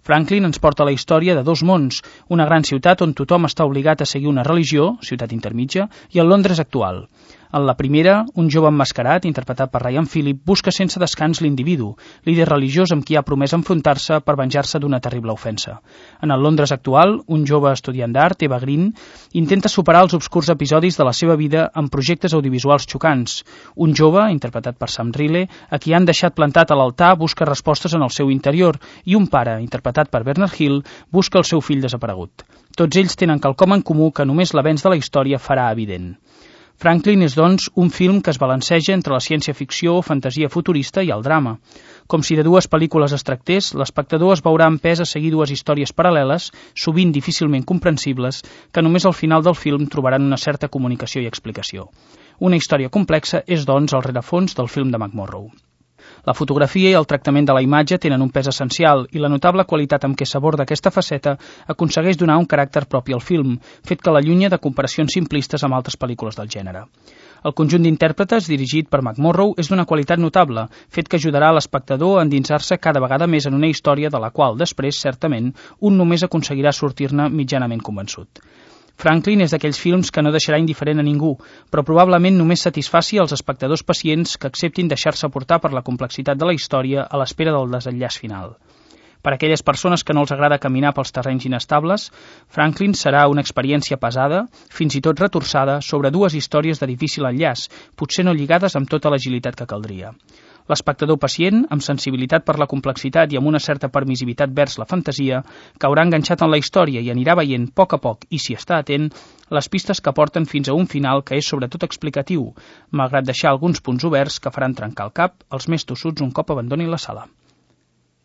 Franklin ens porta la història de dos mons, una gran ciutat on tothom està obligat a seguir una religió, ciutat intermitja, i el Londres actual. En la primera, un jove emmascarat, interpretat per Ryan Phillip, busca sense descans l'individu, líder religiós amb qui ha promès enfrontar-se per venjar-se d'una terrible ofensa. En el Londres actual, un jove estudiant d'art, Eva Green, intenta superar els obscurs episodis de la seva vida amb projectes audiovisuals xocants. Un jove, interpretat per Sam Riley, a qui han deixat plantat a l'altar, busca respostes en el seu interior, i un pare, interpretat per Bernard Hill, busca el seu fill desaparegut. Tots ells tenen quelcom en comú que només l'avenç de la història farà evident. Franklin és, doncs, un film que es balanceja entre la ciència-ficció o fantasia futurista i el drama. Com si de dues pel·lícules es tractés, l'espectador es veurà empès a seguir dues històries paral·leles, sovint difícilment comprensibles, que només al final del film trobaran una certa comunicació i explicació. Una història complexa és, doncs, el rerefons del film de McMurrow. La fotografia i el tractament de la imatge tenen un pes essencial i la notable qualitat amb què s'aborda aquesta faceta aconsegueix donar un caràcter propi al film, fet que l'allunya de comparacions simplistes amb altres pel·lícules del gènere. El conjunt d'intèrpretes, dirigit per McMurrow, és d'una qualitat notable, fet que ajudarà a l'espectador a endinsar-se cada vegada més en una història de la qual, després, certament, un només aconseguirà sortir-ne mitjanament convençut. Franklin és d'aquells films que no deixarà indiferent a ningú, però probablement només satisfaci els espectadors pacients que acceptin deixar-se portar per la complexitat de la història a l'espera del desenllaç final. Per a aquelles persones que no els agrada caminar pels terrenys inestables, Franklin serà una experiència pesada, fins i tot retorçada, sobre dues històries de difícil enllaç, potser no lligades amb tota l'agilitat que caldria. L'espectador pacient, amb sensibilitat per la complexitat i amb una certa permissivitat vers la fantasia, caurà enganxat en la història i anirà veient a poc, i si està atent, les pistes que porten fins a un final que és sobretot explicatiu, malgrat deixar alguns punts oberts que faran trencar el cap als més tossuts un cop abandonin la sala.